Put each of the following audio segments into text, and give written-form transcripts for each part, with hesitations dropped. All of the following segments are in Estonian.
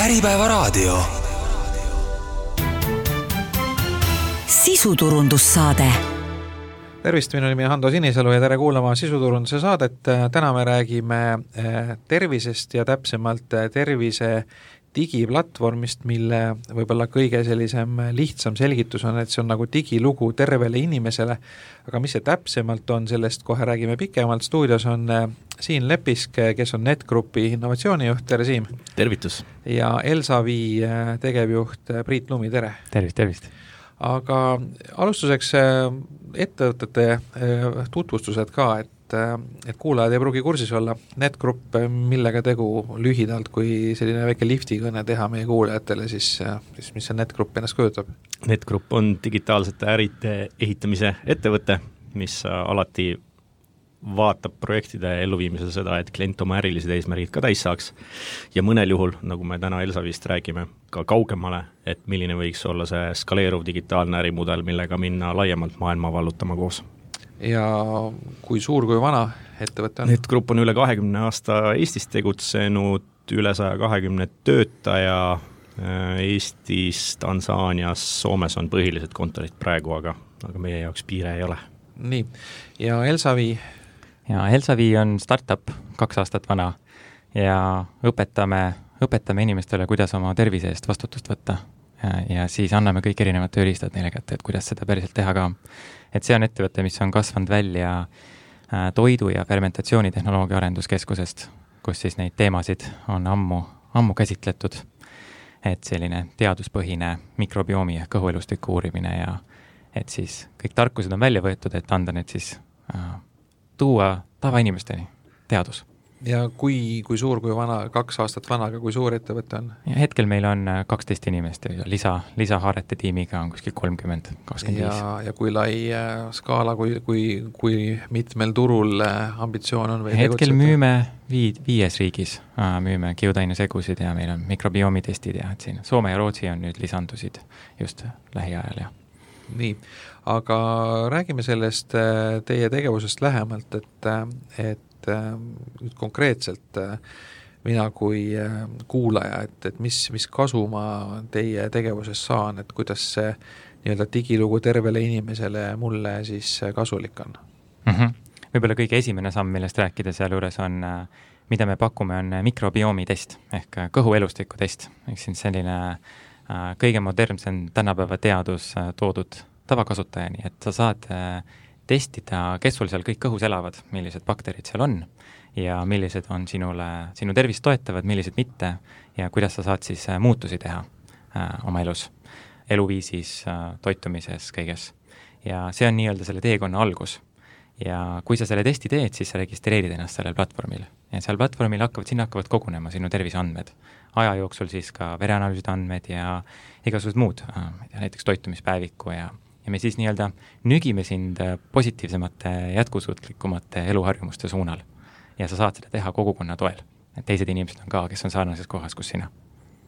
Äripäevaraadio. Sisuturundussaade. Tervist, minu nimi Hando Sinisalu ja tere kuulama sisuturunduse saadet. Täna me räägime tervisest ja täpsemalt tervise digiplatvormist, mille võib-olla kõige sellisem lihtsam selgitus on, et see on nagu digilugu tervele inimesele, aga mis see täpsemalt on, sellest kohe räägime pikemalt. Stuudios on Siim Lepisk, kes on NetGroupi innovatsioonijuht, tere Siim! Tervitus! Ja Elsavi tegevjuht Priit Lumi, tere! Tervist! Aga alustuseks ettevõtete tutvustused ka, et kuulajad ei pruugi kursis olla. NetGroup, millega tegu lühidalt, kui selline väike liftikõne teha meie kuulajatele, siis mis see NetGroup ennast kujutab? NetGroup on digitaalsete äride ehitamise ettevõte, mis alati vaatab projektide elluviimisel seda, et klient oma ärilised eesmärgid ka täis saaks ja mõnel juhul, nagu me täna Elsavist räägime, ka kaugemale, et milline võiks olla see skaleeruv digitaalne ärimudel, millega minna laiemalt maailma vallutama koos. Ja kui suur, kui vana ettevõte on? NetGroup on üle 20 aasta Eestis tegutsenud, üle 120 töötaja Eestis, Tansaanias, Soomes on põhilised kontorid praegu, aga meie jaoks piire ei ole. Nii, ja Elsavi? Ja Elsavi on startup 2 aastat vana ja õpetame inimestele, kuidas oma tervise eest vastutust võtta ja siis anname kõik erinevad tööriistad neile kätte, et kuidas seda päriselt teha ka. Et see on ettevõte, mis on kasvanud välja toidu- ja fermentatsioonitehnoloogia arenduskeskusest, kus siis neid teemasid on ammu käsitletud, et selline teaduspõhine mikrobiomi ja kõhuelustiku uurimine ja et siis kõik tarkused on välja võetud, et anda need siis tuua tavainimesteni teadus. Ja kui suur, kui vana, 2 aastat vana, aga kui suur ettevõte on? Ja hetkel meil on 12 inimest ja lisahaarete tiimiga on kuskil 30-25. Ja kui lai skaala, kui mitmel turul ambitsioon on? Või hetkel müüme 5 riigis, müüme kiudainesegusid ja meil on mikrobiomitestid ja et siin Soome ja Rootsi on nüüd lisandusid just lähiajal ja nii, aga räägime sellest teie tegevusest lähemalt, et nüüd konkreetselt mina kui kuulaja, et mis kasu ma teie tegevuses saan, et kuidas see nii-öelda digilugu tervele inimesele mulle siis kasulik on? Võib-olla kõige esimene samm, millest rääkida sealjuures on, mida me pakume, on mikrobiomitest ehk kõhuelustiku test. Ehk siin selline kõige modernsem tänapäeva teadus toodud tavakasutajani, et sa saad testida, kes sul seal kõik kõhus elavad, millised bakterid seal on ja millised on sinu tervist toetavad, millised mitte ja kuidas sa saad siis muutusi teha oma elus, eluviisis, toitumises, kõiges. Ja see on nii-öelda selle teekonna algus. Ja kui sa selle testi teed, siis sa registreerid ennast sellel platvormil. Ja seal platvormil hakkavad kogunema sinu terviseandmed. Aja jooksul siis ka vereanalüüside andmed ja igasugused muud, näiteks toitumispäeviku ja me siis nii-öelda nügime sind positiivsemate, jätkusuutlikumate eluharjumuste suunal. Ja sa saad seda teha kogukonna toel. Et teised inimesed on ka, kes on sarnases kohas, kus sina.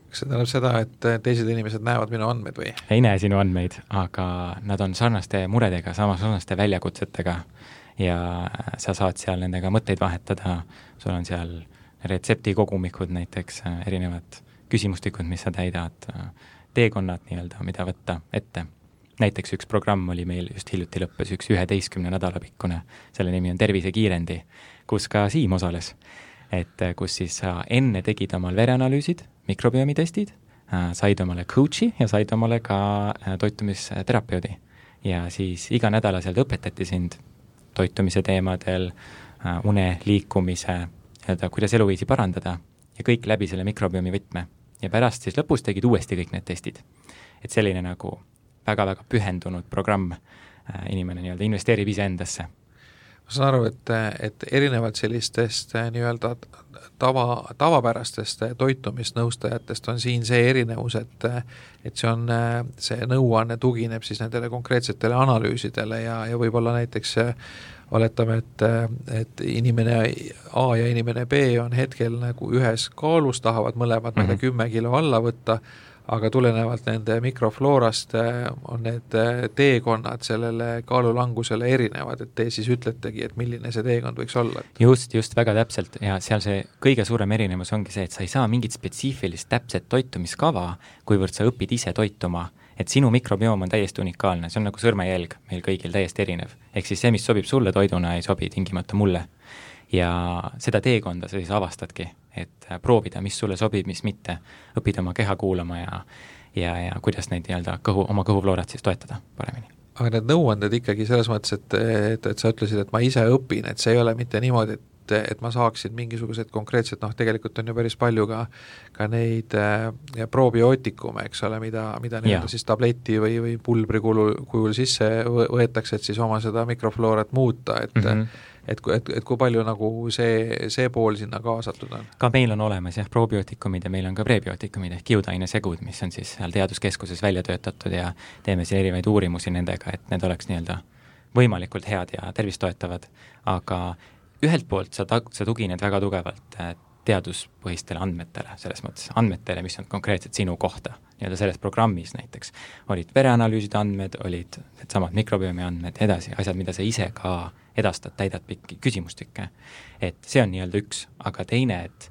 Kas see tähendab seda, et teised inimesed näevad minu andmeid või? Ei näe sinu andmeid, aga nad on sarnaste muredega, sarnaste väljakutsetega ja sa saad seal nendega mõtteid vahetada. Sul on seal retseptikogumikud näiteks, erinevad küsimustikud, mis sa täidad, teekonnad nii-öelda, mida võtta ette. Näiteks üks programm oli meil just hiljuti lõppes, üks 11 nädala pikkune, selle nimi on Tervisekiirendi, kus ka Siim osales, et kus siis sa enne tegid omal vereanalüüsid, mikrobiomitestid, said omale coachi ja said omale ka toitumisterapeudi ja siis iga nädalaselt õpetati sind toitumise teemadel, une, liikumise, kuidas eluviisi parandada ja kõik läbi selle mikrobiomi võtme ja pärast siis lõpus tegid uuesti kõik need testid. Et selline nagu väga-väga pühendunud programm, inimene nii-öelda investeerib ise endasse. Ma saan aru, et erinevalt sellistest nii-öelda tavapärastest toitumisnõustajatest on siin see erinevus, et see nõuanne tugineb siis nendele konkreetsetele analüüsidele ja võib-olla näiteks oletame, et inimene A ja inimene B on hetkel nagu ühes kaalus, tahavad mõlemad 10 kilo alla võtta, aga tulenevalt nende mikrofloorast on need teekonnad sellele kaalulangusele erinevad, et te siis ütletegi, et milline see teekond võiks olla? Just, väga täpselt ja seal see kõige suurem erinevus ongi see, et sa ei saa mingit spetsiifilist täpset toitumiskava, kuivõrd sa õpid ise toituma, et sinu mikrobioom on täiesti unikaalne, see on nagu sõrmejälg meil kõigil täiesti erinev. Ehk siis see, mis sobib sulle toiduna, ei sobi tingimata mulle. Ja seda teekonda sa siis avastadki, et proovida, mis sulle sobib, mis mitte, õppida oma keha kuulama ja kuidas neid nii-öelda oma kõhufloorat siis toetada paremini. Aga need nõuanded ikkagi selles mõttes, et sa ütlesid, et ma ise õpin, et see ei ole mitte niimoodi, et ma saaksin mingisugused konkreetsed, tegelikult on ju päris palju ka neid probiootikume, eks ole, mida nii-öelda siis tableti või pulbri kujul sisse võetakse, et siis oma seda mikrofloorat muuta, et kui palju nagu see pool sinna kaasatud on? Ka meil on olemas probiootikumid ja meil on ka prebiootikumid ehk kiudainesegud, mis on siis seal teaduskeskuses välja töötatud ja teeme siin erinevaid uurimusi nendega, et need oleks nii-öelda võimalikult head ja tervist toetavad, aga ühelt poolt sa tugined väga tugevalt teaduspõhistele andmetele, selles mõttes andmetele, mis on konkreetselt sinu kohta, nii-öelda selles programmis näiteks. Olid vereanalüüside andmed, olid needsamad mikrobiomi andmed, edasi, asjad, mida sa ise ka edastad, täidad pikki küsimustikke. Et see on nii-öelda üks, aga teine, et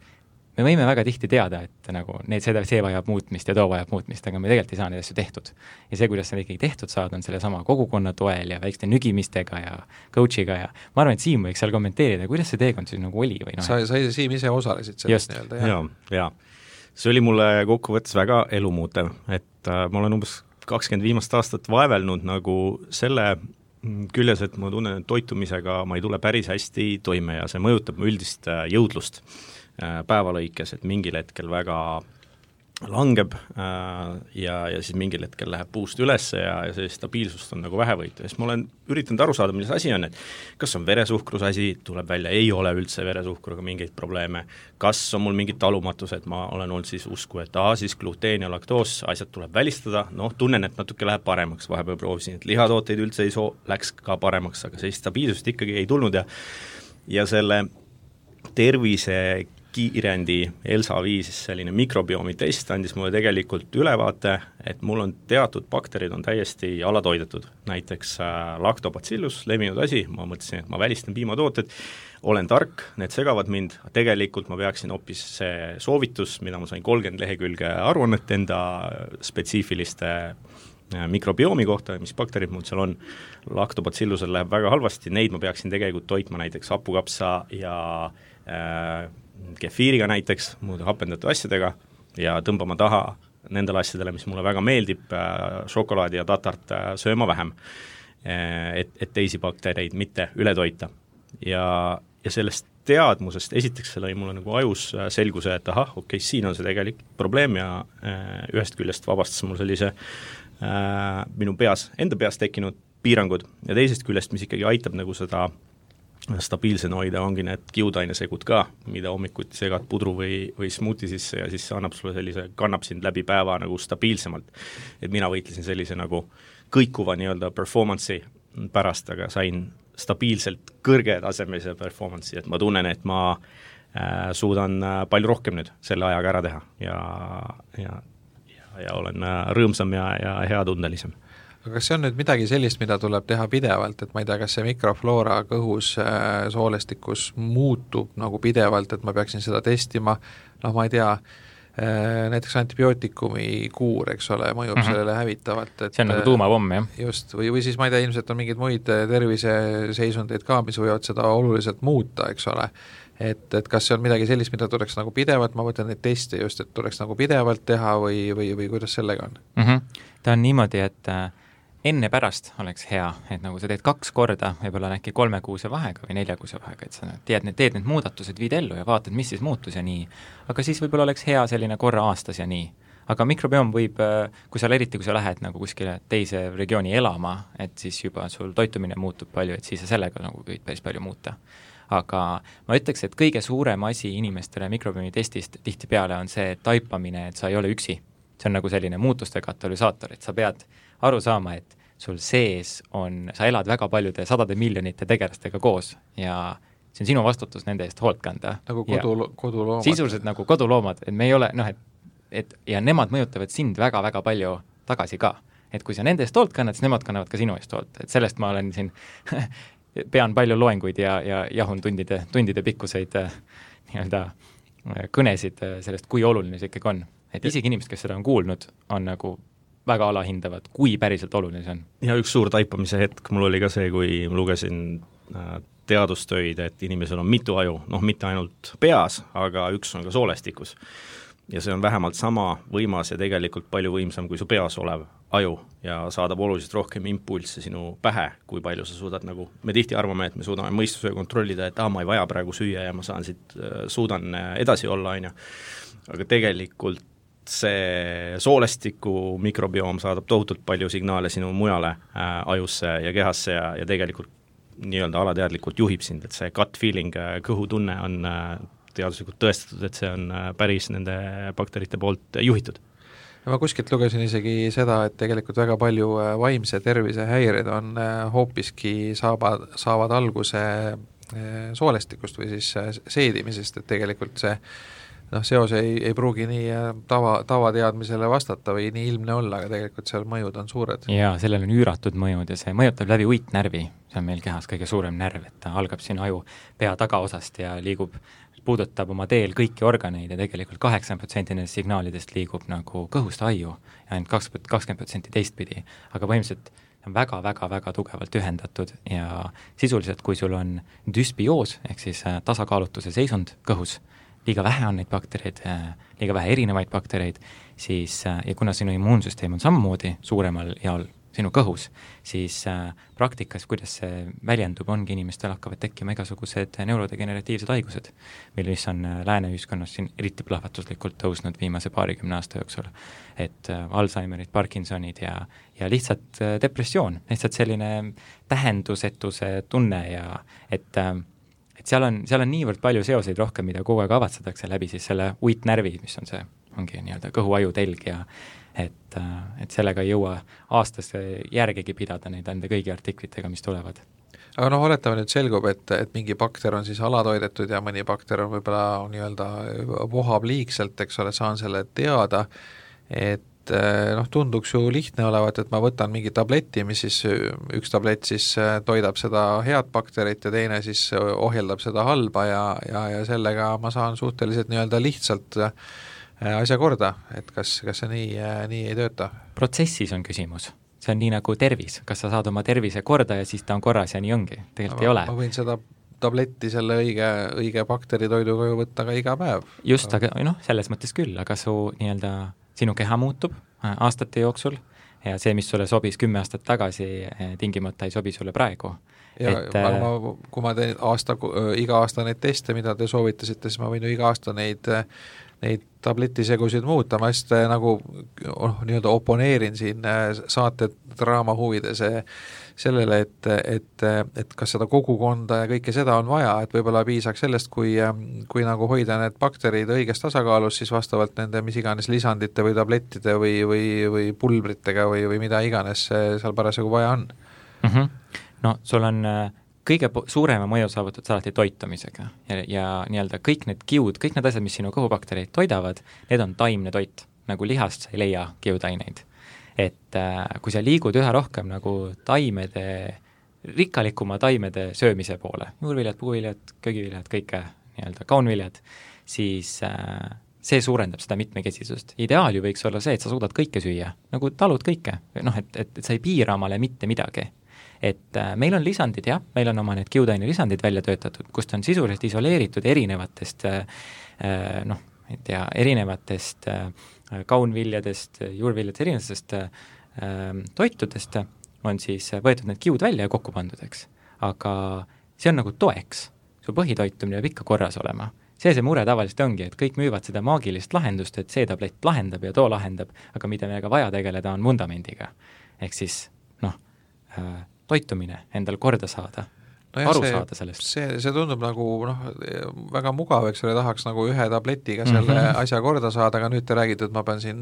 me võime väga tihti teada, et nagu see vajab muutmist ja too vajab muutmist, aga me tegelikult ei saa neid asju tehtud. Ja see, kuidas seda ikkagi tehtud saada, on selle sama kogukonna toel ja väikeste nügimistega ja coachiga ja ma arvan, et Siim võiks seal kommenteerida, kuidas see teekond siis nagu oli või Sa Siim ise osalesid sellest nii-öelda. Ja. See oli mulle kokkuvõttes väga elumuutev, et ma olen umbes 20 viimast aastat vaevelnud nagu selle küljes, et ma tunnen, et toitumisega ma ei tule päris hästi toime ja see mõjutab mu üldist jõudlust päevalõikes, et mingil hetkel väga langeb ja siis mingil hetkel läheb puust üles ja see stabiilsust on nagu vähevõitu. Ja siis ma olen üritanud aru saada, milles asi on, et kas on veresuhkrus asi, tuleb välja, ei ole üldse veresuhkruga mingeid probleeme, kas on mul mingid talumatused, ma olen olnud siis usku, et siis gluteen ja laktoos, asjad tuleb välistada, tunnen, et natuke läheb paremaks, vahepeal proovisin, et lihatooteid üldse ei läks ka paremaks, aga sellist stabiilsust ikkagi ei tulnud ja selle tervise kiirendi Elsa 5 selline mikrobiomi test andis mulle tegelikult ülevaate, et mul on teatud bakterid on täiesti alatoidetud, näiteks lactobacillus, levinud asi, ma mõtlesin, et ma välistan piimatooted, olen tark, need segavad mind, tegelikult ma peaksin hoopis see soovitus, mida ma sain 30 lehekülge aruannet enda spetsiifiliste mikrobiomi kohta, mis bakterid mul seal on, lactobacillusel läheb väga halvasti, neid ma peaksin tegelikult toitma näiteks hapukapsa ja kefiiriga näiteks, muude hapendatud asjadega ja tõmbama taha nendele asjadele, mis mulle väga meeldib, šokolaadi ja tatart sööma vähem, et teisi baktereid mitte üle toita. Ja sellest teadmusest esiteks see lõi mulle nagu ajus selguse, et siin on see tegelik probleem ja ühest küljest vabastas mul sellise minu enda peas tekkinud piirangud ja teisest küljest, mis ikkagi aitab nagu seda stabiilsena hoida, ongi need kiudainesegud ka, mida hommikuti segad pudru või smuuti sisse ja siis annab sulle sellise, kannab sind läbi päeva nagu stabiilsemalt. Et mina võitlesin sellise nagu kõikuva nii-öelda performance'i pärast, aga sain stabiilselt kõrgetasemelise performance'i, et ma tunnen, et ma suudan palju rohkem nüüd selle ajaga ära teha ja olen rõõmsam ja heatundelisem. Aga kas see on nüüd midagi sellist, mida tuleb teha pidevalt, et ma ei tea, kas see mikrofloora kõhus soolestikus muutub nagu pidevalt, et ma peaksin seda testima, ma ei tea, näiteks antibiootikumi kuur, eks ole, mõjub sellele hävitavalt. See on nagu tuumapomm, jah? Just, või siis ma ei tea, ilmselt on mingeid muid terviseseisundeid ka, mis võivad seda oluliselt muuta, eks ole. Et kas see on midagi sellist, mida tuleks nagu pidevalt, ma mõtlen neid teste just, et tuleks nagu pidevalt teha või kuidas sellega on? Ta on niimoodi, et enne pärast oleks hea, et nagu sa teed 2 korda, võib-olla äkki 3 kuuse vahega või 4 kuuse vahega, et sa teed need muudatused, viid ellu ja vaatad, mis siis muutus ja nii. Aga siis võib-olla oleks hea selline korra aastas ja nii. Aga mikrobiom võib, kui sa lähed nagu kuskile teise regiooni elama, et siis juba sul toitumine muutub palju, et siis sa sellega nagu võid päris palju muuta. Aga ma ütleks, et kõige suurem asi inimestele mikrobiomi testist tihtipeale on see taipamine, et sa ei ole üksi. See on nagu selline muutuste katalüsaator, et sa pead aru saama, et sul sees on, sa elad väga paljude sadade miljonite tegelastega koos ja see on sinu vastutus nende eest hoolt kanda. Nagu koduloomad. Sisuliselt nagu koduloomad, et me ei ole, ja nemad mõjutavad sind väga-väga palju tagasi ka. Et kui sa nende eest hoolt kannad, siis nemad kannavad ka sinu eest hoolt. Et sellest ma olen siin pean palju loenguid ja jahun tundide pikkuseid nii-öelda kõnesid sellest, kui oluline see ikkagi on. Et isegi inimesed, kes seda on kuulnud, on nagu väga alahindavad, kui päriselt oluline see on. Ja üks suur taipamise hetk mul oli ka see, kui ma lugesin teadustöid, et inimesel on mitu aju, mitte ainult peas, aga üks on ka soolestikus. Ja see on vähemalt sama võimas ja tegelikult palju võimsam kui su peas olev aju ja saadab oluliselt rohkem impulsse sinu pähe, kui palju sa suudad nagu, me tihti arvame, et me suudame mõistuse kontrollida, et ma ei vaja praegu süüa ja ma suudan edasi olla, aga tegelikult see soolestiku mikrobioom saadab tohutult palju signaale sinu mujale ajusse ja kehasse ja tegelikult nii-öelda alateadlikult juhib sind, et see gut feeling, kõhutunne on teaduslikult tõestatud, et see on päris nende bakterite poolt juhitud. Ma kuskilt lugesin isegi seda, et tegelikult väga palju vaimse tervise häired on hoopiski saavad alguse soolestikust või siis seedimisest, et tegelikult see seos ei pruugi nii tavateadmisele vastata või nii ilmne olla, aga tegelikult seal mõjud on suured. Jaa, sellel on üüratud mõjud ja see mõjutab läbi uitnärvi, see on meil kehas kõige suurem närv, et ta algab siin aju pea tagaosast ja puudutab oma teel kõiki organeid ja tegelikult 80% nendest signaalidest liigub nagu kõhust aju ja ainult 20% teistpidi, aga põhimõtteliselt on väga-väga-väga tugevalt ühendatud ja sisuliselt, kui sul on düsbioos ehk siis tasakaalutuse seisund kõhus, liiga vähe on neid baktereid, liiga vähe erinevaid baktereid, siis ja kuna sinu immuunsüsteem on samamoodi suuremal jaol sinu kõhus, siis praktikas, kuidas see väljendub, ongi inimestel hakkavad tekkima igasugused neurodegeneratiivsed haigused, mis on lääne ühiskonnas siin eriti plahvatuslikult tõusnud viimase 20 aasta jooksul. Et Alzheimerid, Parkinsonid ja lihtsalt depressioon, lihtsalt selline tähendusetuse tunne ja et seal on niivõrd palju seoseid rohkem, mida kogu aeg avatsetakse läbi siis selle uitnärvi, mis on see, ongi nii-öelda kõhuaju telg ja et sellega ei jõua aastas järgegi pidada neid enda kõigi artiklitega, mis tulevad. Aga oletame nüüd selgub, et mingi bakter on siis alatoidetud ja mõni bakter on võib-olla nii-öelda vohab liigselt, eks ole, saan selle teada, et tunduks ju lihtne olevat, et ma võtan mingi tableti, mis siis üks tablett siis toidab seda head bakterit ja teine siis ohjeldab seda halba ja sellega ma saan suhteliselt nii-öelda lihtsalt asja korda, et kas see nii ei tööta? Protsessis on küsimus. See on nii nagu tervis. Kas sa saad oma tervise korda ja siis ta on korras ja nii ongi? Tegelikult ei ole. Ma võin seda tabletti selle õige bakteritoiduga ju võtta ka iga päev. Just, aga selles mõttes küll, aga sinu keha muutub aastate jooksul ja see, mis sulle sobis 10 aastat tagasi, tingimata ei sobi sulle praegu. Ja kui ma teen iga aasta neid teste, mida te soovitasite, siis ma võin ju iga aasta neid tabletisegusid muuta, ma just nagu nii-öelda oponeerin siin saate draama huvides sellele, et kas seda kogukonda ja kõike seda on vaja, et võib-olla piisaks sellest, kui nagu hoida need bakterid õiges tasakaalus, siis vastavalt nende mis iganes lisandite või tablettide või pulbritega või mida iganes seal parasjagu vaja on. No sul on kõige suurema mõju saavutad alati toitumisega ja nii-öelda kõik need kiud, kõik need asjad, mis sinu kõhubaktereid toidavad, need on taimne toit, nagu lihast sa ei leia kiudaineid. Et kui sa liigud üha rohkem nagu rikkalikuma taimede söömise poole, juurviljad, puuviljad, köögiviljad, kõike nii-öelda kaunviljad, siis see suurendab seda mitmekesisust. Ideaal ju võiks olla see, et sa suudad kõike süüa, nagu talud kõike, et sa ei piira omale mitte midagi. Et meil on lisandid, jah, meil on oma need kiudaine lisandid välja töötatud, kust on sisuliselt isoleeritud erinevatest erinevatest kaunviljadest, juurviljadest, erinevatest toitudest on siis võetud need kiud välja ja kokku pandud, eks. Aga see on nagu toeks, su põhitoitumine peab ikka korras olema. See mure tavaliselt ongi, et kõik müüvad seda maagilist lahendust, et see tablett lahendab ja too lahendab, aga mida meiega vaja tegeleda on vundamendiga. Ehk siis, toitumine endal korda saada, aru saada sellest. See tundub nagu väga mugav, eks ole, tahaks nagu ühe tabletiga selle asja korda saada, aga nüüd te räägite, et ma pean siin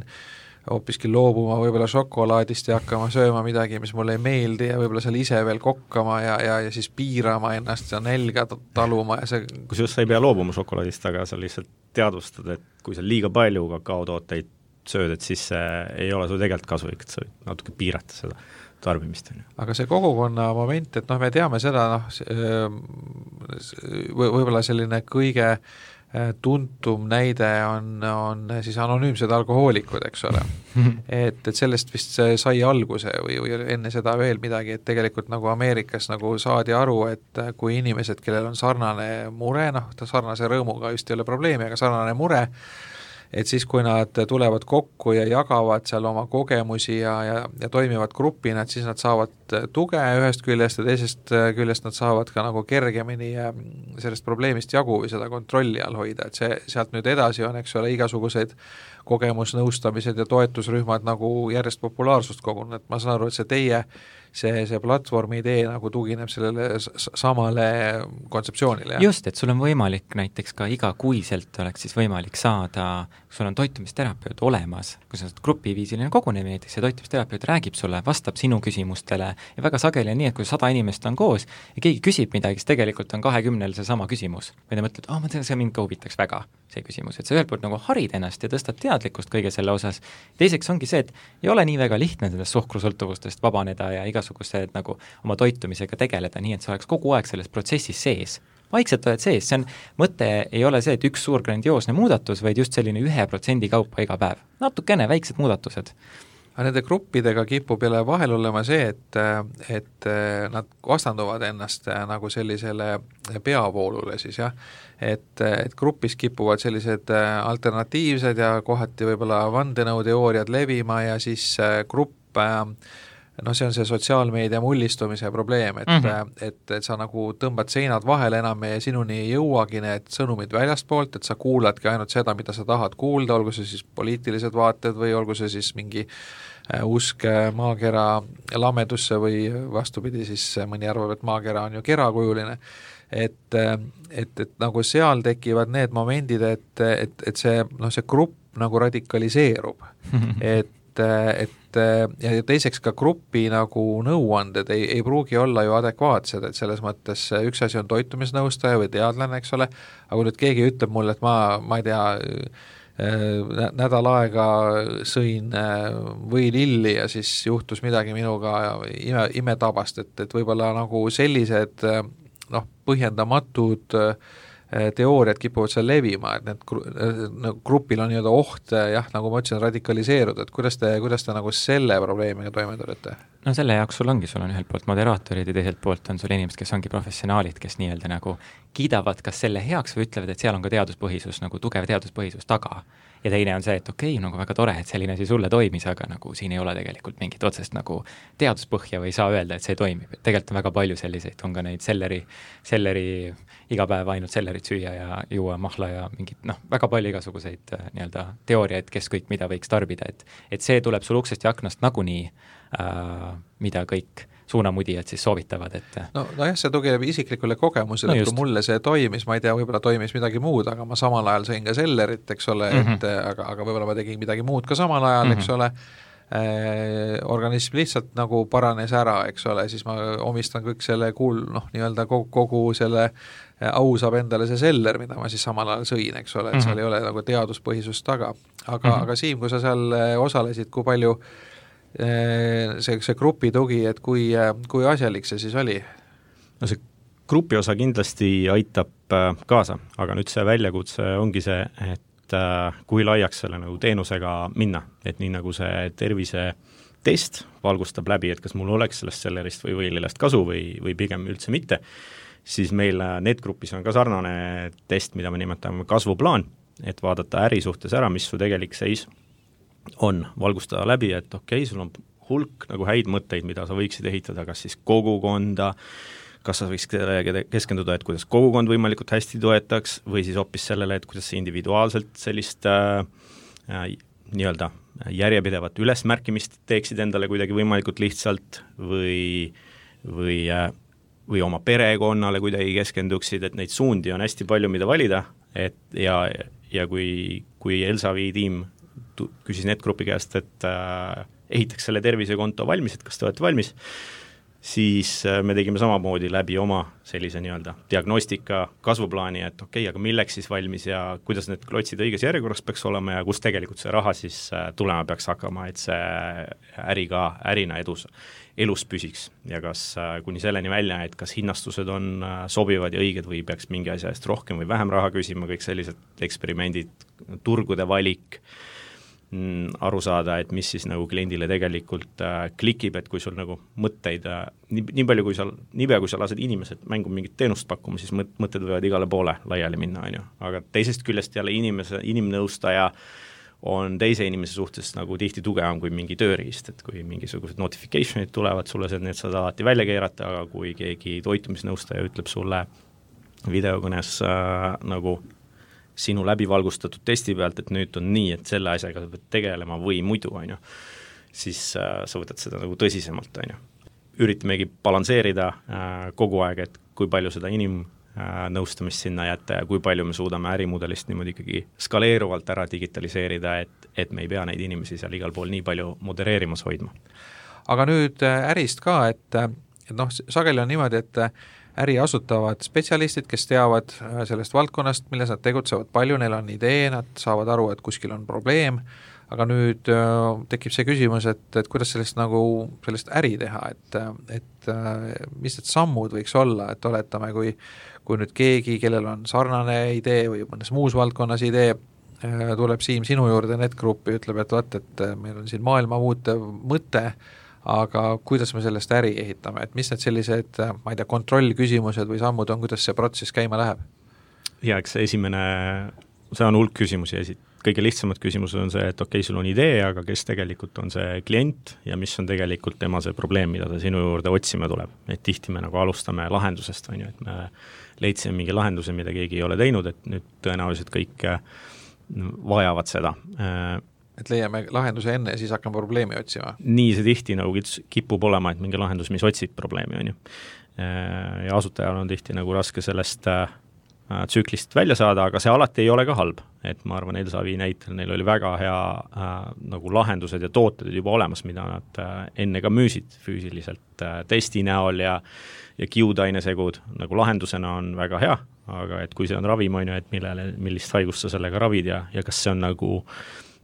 hoopiski loobuma võib-olla šokolaadist ja hakkama sööma midagi, mis mulle ei meeldi ja võib-olla seal ise veel kokkama ja siis piirama ennast ja nälga taluma ja see... Kusjuures sa ei pea loobuma šokolaadist, aga sa lihtsalt teadvustad, et kui sa liiga palju kakaotooteid sööd, et siis ei ole sul tegelikult kasulik, et sa võid natuke piirata seda tarbimist. Aga see kogukonna moment, et me teame seda, võib-olla selline kõige tuntum näide on siis anonüümsed alkohoolikud, eks ole. et sellest vist sai alguse või enne seda veel midagi, et tegelikult nagu Ameerikas nagu saadi aru, et kui inimesed, kellel on sarnane mure, sarnase rõõmuga just ei ole probleemi, aga sarnane mure, et siis, kui nad tulevad kokku ja jagavad seal oma kogemusi ja toimivad grupina, et siis nad saavad tuge ühest küljest ja teisest küljest nad saavad ka nagu kergemini sellest probleemist jagu või seda kontrolli all hoida, et see sealt nüüd edasi on, eks ole, igasugused kogemusnõustamised ja toetusrühmad nagu järjest populaarsust kogunud, et ma saan aru, et see platvormi idee nagu tugineb sellele samale kontseptsioonile. Just, et sul on võimalik näiteks ka igakuiselt oleks siis võimalik saada, kui sul on toitumisterapeut olemas, kui sa oled grupiviisiline kogunemine näiteks ja toitumisterapeut räägib sulle, vastab sinu küsimustele ja väga sageli on nii, et kui 100 inimest on koos ja keegi küsib midagi, siis tegelikult on 20 see sama küsimus. Või ta mõtled, ma tean, see mind ka huvitaks väga, see küsimus, et sa ühelt poolt nagu harid ennast ja tõstad teadlikkust kõige selle osas. Teiseks ongi see, et ei ole nii väga lihtne sellest suhkrusõltuvustest vabaneda ja igasugused nagu oma toitumisega tegeleda, nii et sa oleks kogu aeg selles protsessis sees. Vaikselt oled sees, see on, mõte ei ole see, et üks suur grandioosne muudatus, vaid just selline 1% kaupa iga päev. Natukene väiksed muudatused. Aga nende gruppidega kipub jälle vahel olema see, et nad vastanduvad ennast nagu sellisele peavoolule siis jah, et grupis kipuvad sellised alternatiivsed ja kohati võib-olla vandenõuteooriad levima ja siis grupp see on see sotsiaalmeedia mullistumise probleem, et sa nagu tõmbad seinad vahele enam ja sinuni ei jõuagi need sõnumid väljastpoolt, et sa kuuladki ainult seda, mida sa tahad kuulda, olgu see siis poliitilised vaated või olgu see siis mingi usk maakera lamedusse või vastupidi, siis mõni arvab, et maakera on ju kerakujuline. Et nagu seal tekivad need momendid, et see grupp nagu radikaliseerub, et ja teiseks ka grupi nagu nõuanded ei pruugi olla ju adekvaatsed, et selles mõttes üks asi on toitumisnõustaja või teadlane, eks ole, aga kui nüüd keegi ütleb mulle, et ma ei tea, nädal aega sõin võililli ja siis juhtus midagi minuga imetabast, et võib-olla nagu sellised põhjendamatud teooriad kipuvad seal levima, et need grupil on nii-öelda oht, nagu ma ütlesin, radikaliseeruda, et kuidas te nagu selle probleemiga toime tulete? No selle jaoks sul on ühelt poolt moderaatorid ja teiselt poolt on sul inimesed, kes ongi professionaalid, kes nii-öelda nagu kiidavad kas selle heaks või ütlevad, et seal on ka teaduspõhisus, nagu tugev teaduspõhisus taga. Ja teine on see, et nagu väga tore, et selline asi sulle toimis, aga nagu siin ei ole tegelikult mingit otsest nagu teaduspõhja või ei saa öelda, et see toimib. Et tegelikult on väga palju selliseid, on ka neid selleri iga päev ainult sellerit süüa ja juua mahla ja mingid, väga palju igasuguseid nii-öelda teooriaid, kes kõik mida võiks tarbida, et see tuleb sul uksest ja aknast nagunii, mida kõik suunamudijad siis soovitavad, et nojah, see tugineb isiklikule kogemusele, et kui mulle see toimis, ma ei tea, võib-olla toimis midagi muud, aga ma samal ajal sõin ka sellerit, eks ole, aga võib-olla ma tegin midagi muud ka samal ajal, eks ole, organism lihtsalt nagu paranes ära, eks ole, siis ma omistan kõik selle nii-öelda kogu selle au saab endale see seller, mida ma siis samal ajal sõin, eks ole, et seal ei ole nagu teaduspõhisust taga. Aga Siim, kui sa seal osalesid, kui palju see grupi tugi, et kui asjalik see siis oli? No see grupi osa kindlasti aitab kaasa, aga nüüd see väljakutse ongi see, et kui laiaks selle nagu teenusega minna, et nii nagu see tervisetest valgustab läbi, et kas mul oleks sellest sellerist või võilillest kasu või pigem üldse mitte, siis meil NET-grupis on ka sarnane test, mida me nimetame kasvuplaan, et vaadata äri suhtes ära, mis su tegelik seis on, valgustada läbi, et okei, sul on hulk nagu häid mõtteid, mida sa võiksid ehitada, kas siis kogukonda, kas sa võiks keskenduda, et kuidas kogukond võimalikult hästi toetaks, või siis hoopis sellele, et kuidas sa individuaalselt sellist nii-öelda järjepidevat ülesmärkimist teeksid endale kuidagi võimalikult lihtsalt või oma perekonnale kuidagi keskenduksid, et neid suundi on hästi palju, mida valida, ja kui Elsavi tiim küsis NET-grupi käest, et ehitaks selle tervisekonto valmis, et kas te olete valmis, siis me tegime samamoodi läbi oma sellise nii-öelda diagnostika kasvuplaani, et okei, aga milleks siis valmis ja kuidas need klotsid õiges järjekorras peaks olema ja kus tegelikult see raha siis tulema peaks hakkama, et see äri ka ärina elus püsiks ja kas kuni selleni välja, et kas hinnastused on sobivad ja õiged või peaks mingi asja eest rohkem või vähem raha küsima, kõik sellised eksperimendid, turgude valik, aru saada, et mis siis nagu kliendile tegelikult klikib, et kui sul nagu mõtteid, nii palju kui sa lased inimesed mängu mingit teenust pakkuma, siis mõtted võivad igale poole laiali minna, on ju. Aga teisest küljest jälle inimnõustaja on teise inimese suhtes nagu tihti tugevam kui mingi tööriist, et kui mingisugused notification'id tulevad sulle, need saad alati välja keerata, aga kui keegi toitumisnõustaja ütleb sulle videokõnes nagu sinu läbivalgustatud testi pealt, et nüüd on nii, et selle asjaga sa pead tegelema või muidu, on ju, siis sa võtad seda nagu tõsisemalt, on ju. Üritamegi balansseerida kogu aeg, et kui palju seda inimnõustamist sinna jätta ja kui palju me suudame ärimudelist niimoodi ikkagi skaleeruvalt ära digitaliseerida, et me ei pea neid inimesi seal igal pool nii palju modereerimas hoidma. Aga nüüd ärist ka, et noh, sageli on niimoodi, et äri asutavad spetsialistid, kes teavad sellest valdkonnast, milles nad tegutsevad palju, neil on idee, nad saavad aru, et kuskil on probleem, aga nüüd tekib see küsimus, et kuidas sellest äri teha, et mis need sammud võiks olla, et oletame, kui nüüd keegi, kellel on sarnane idee või mõnes muus valdkonnas idee, tuleb Siim sinu juurde NetGroupi, ütleb, et vaat, et meil on siin maailma muutev mõte, aga kuidas me sellest äri ehitame, et mis need sellised, ma ei tea, kontrollküsimused või sammud on, kuidas see protsess käima läheb? Ja eks see on hulk küsimusi kõige lihtsamad küsimused on see, et okei, sul on idee, aga kes tegelikult on see klient ja mis on tegelikult tema see probleem, mida ta sinu juurde otsima tuleb. Et tihti me nagu alustame lahendusest, on ju, et me leidsime mingi lahenduse, mida keegi ei ole teinud, et nüüd tõenäoliselt kõik vajavad seda. Et leiame lahenduse enne ja siis hakkame probleemi otsima. Nii see tihti nagu kipub olema, et mingi lahendus, mis otsib probleemi, on ju. Ja asutajal on tihti nagu raske sellest tsüklist välja saada, aga see alati ei ole ka halb. Et ma arvan, Elsavi näitel neil oli väga hea nagu lahendused ja tooted juba olemas, mida nad enne ka müüsid füüsiliselt testi näol ja kiudainesegud nagu lahendusena on väga hea, aga et kui see on ravim, on ju, et millist haigust sa sellega ravid ja kas see on nagu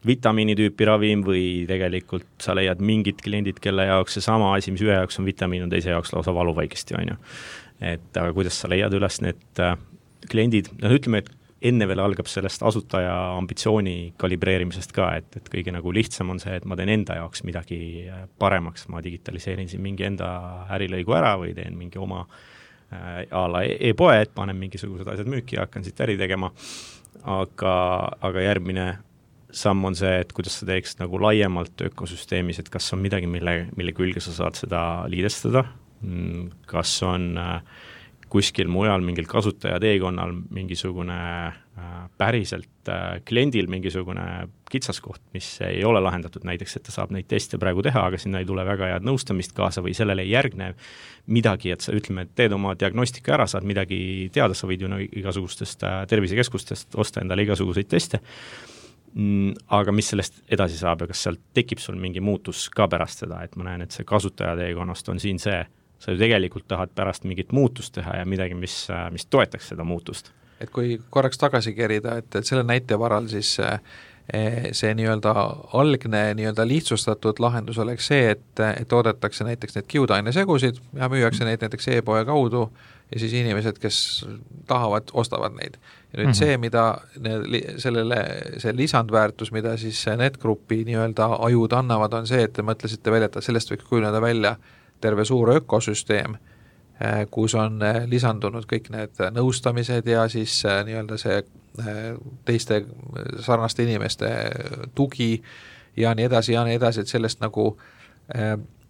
vitamiinitüüpi ravim või tegelikult sa leiad mingid kliendid, kelle jaoks see sama asi, mis ühe jaoks on vitamiin, on teise jaoks lausa valuvaigesti, on ju. Et aga kuidas sa leiad üles need kliendid, ütleme, et enne veel algab sellest asutaja ambitsiooni kalibreerimisest ka, et kõige nagu lihtsam on see, et ma teen enda jaoks midagi paremaks, ma digitaliseerin siin mingi enda ärilõigu ära või teen mingi oma a la e-poe, et panen mingisugused asjad müüki ja hakkan siit äri tegema, aga järgmine samm on see, et kuidas sa teeks nagu laiemalt ökosüsteemis, et kas on midagi, mille külge sa saad seda liidestada, kas on kuskil mujal mingil kasutaja teekonnal mingisugune päriselt kliendil mingisugune kitsaskoht, mis ei ole lahendatud, näiteks, et ta saab neid teste praegu teha, aga sinna ei tule väga head nõustamist kaasa või sellele ei järgne midagi, et sa ütleme, et teed oma diagnostika ära, saad midagi teada, sa võid ju igasugustest tervisekeskustest osta endale igasuguseid teste, aga mis sellest edasi saab ja kas sealt tekib sul mingi muutus ka pärast seda, et ma näen, et see kasutaja teekonnast on siin see, sa ju tegelikult tahad pärast mingit muutust teha ja midagi, mis toetaks seda muutust. Et kui korraks tagasi kerida, et selle näite varal siis see nii-öelda algne nii-öelda lihtsustatud lahendus oleks see, et toodetakse näiteks need kiudainesegusid ja müüakse neid näiteks e-poe kaudu ja siis inimesed, kes tahavad, ostavad neid. Ja nüüd see, mida see lisandväärtus, mida siis NetGroupi nii-öelda ajud annavad, on see, et te mõtlesite välja, et sellest võiks kujuneda välja terve suur ökosüsteem, kus on lisandunud kõik need nõustamised ja siis nii-öelda see teiste sarnaste inimeste tugi ja nii edasi, et sellest nagu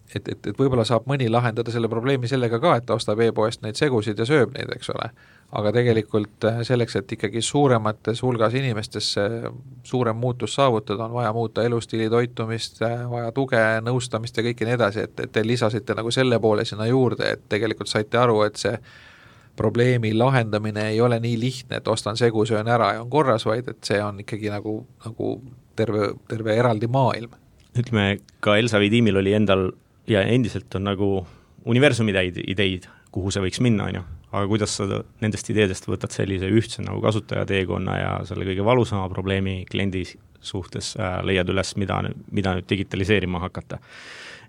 et võib-olla saab mõni lahendada selle probleemi sellega ka, et ta ostab e-poest neid segusid ja sööb neid, eks ole. Aga tegelikult selleks, et ikkagi suuremates hulgas inimestes suurem muutus saavutada, on vaja muuta elustiili, toitumist, vaja tuge, nõustamist ja kõike nii edasi, et te lisasite nagu selle poole sinna juurde, et tegelikult saite aru, et see probleemi lahendamine ei ole nii lihtne, et ostan segu, söön ära ja on korras, vaid et see on ikkagi nagu terve eraldi maailm. Ütleme, ka Elsavi tiimil oli endal ja endiselt on nagu universumi ideid, kuhu see võiks minna, on ju, aga kuidas sa nendest ideedest võtad sellise ühtse nagu kasutajateekonna ja selle kõige valusama probleemi kliendi suhtes leiad üles, mida nüüd digitaliseerima hakata.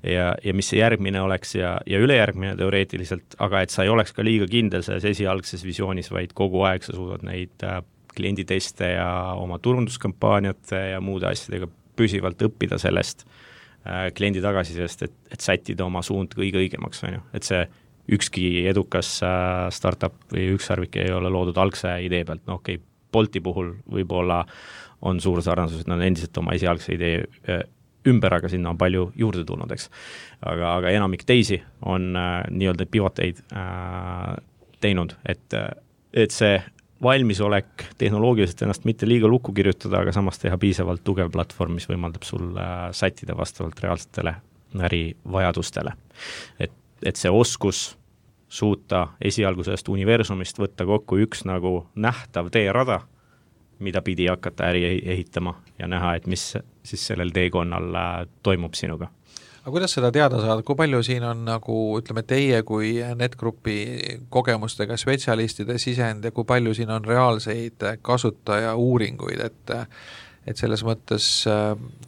Ja mis see järgmine oleks ja ülejärgmine teoreetiliselt, aga et sa ei oleks ka liiga kindel selles esialgses visioonis, vaid kogu aeg sa suudad neid klienditeste ja oma turunduskampaaniate ja muude asjadega püsivalt õppida sellest kliendi tagasisidest, et sättida oma suund kõige õigemaks, on ju. Et see ükski edukas startup või ükssarvik ei ole loodud algse idee pealt, no okei, Bolti puhul võib-olla on suur sarnasus, et nad endiselt oma esialgse idee ümber, aga sinna on palju juurde tulnud, eks. Aga enamik teisi on nii-öelda pivoteid teinud, et see valmisolek tehnoloogiliselt ennast mitte liiga lukku kirjutada, aga samas teha piisavalt tugev platvorm, mis võimaldab sul sättida vastavalt reaalsetele ärivajadustele. Et see oskus suuta esialgusest universumist võtta kokku üks nagu nähtav teerada, mida pidi hakata äri ehitama ja näha, et mis siis sellel teekonnal toimub sinuga. Aga kuidas seda teada saada, kui palju siin on nagu, ütleme, teie kui NetGroupi kogemustega spetsialistide sisend ja kui palju siin on reaalseid kasutaja uuringuid, et selles mõttes,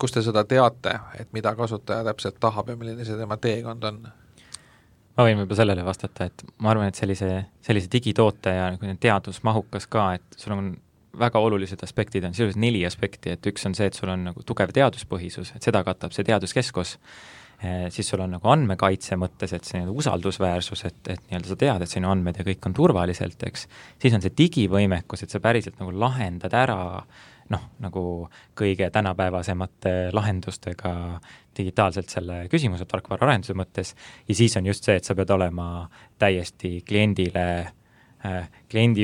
kus te seda teate, et mida kasutaja täpselt tahab ja milline see tema teekond on? Ma võin võib-olla sellele vastata, et ma arvan, et sellise digitoote ja teadusmahukas ka, et sul on väga olulised aspektid, on sisuliselt 4 aspekti, et üks on see, et sul on nagu tugev teaduspõhisus, et seda katab see teaduskeskus, siis sul on nagu andmekaitse mõttes, et see usaldusväärsus, et nii-öelda sa tead, et sinu andmed ja kõik on turvaliselt, eks. Siis on see digivõimekus, et sa päriselt nagu lahendad ära nagu kõige tänapäevasemate lahendustega digitaalselt selle küsimuse tarkvara arenduse mõttes ja siis on just see, et sa pead olema täiesti kliendi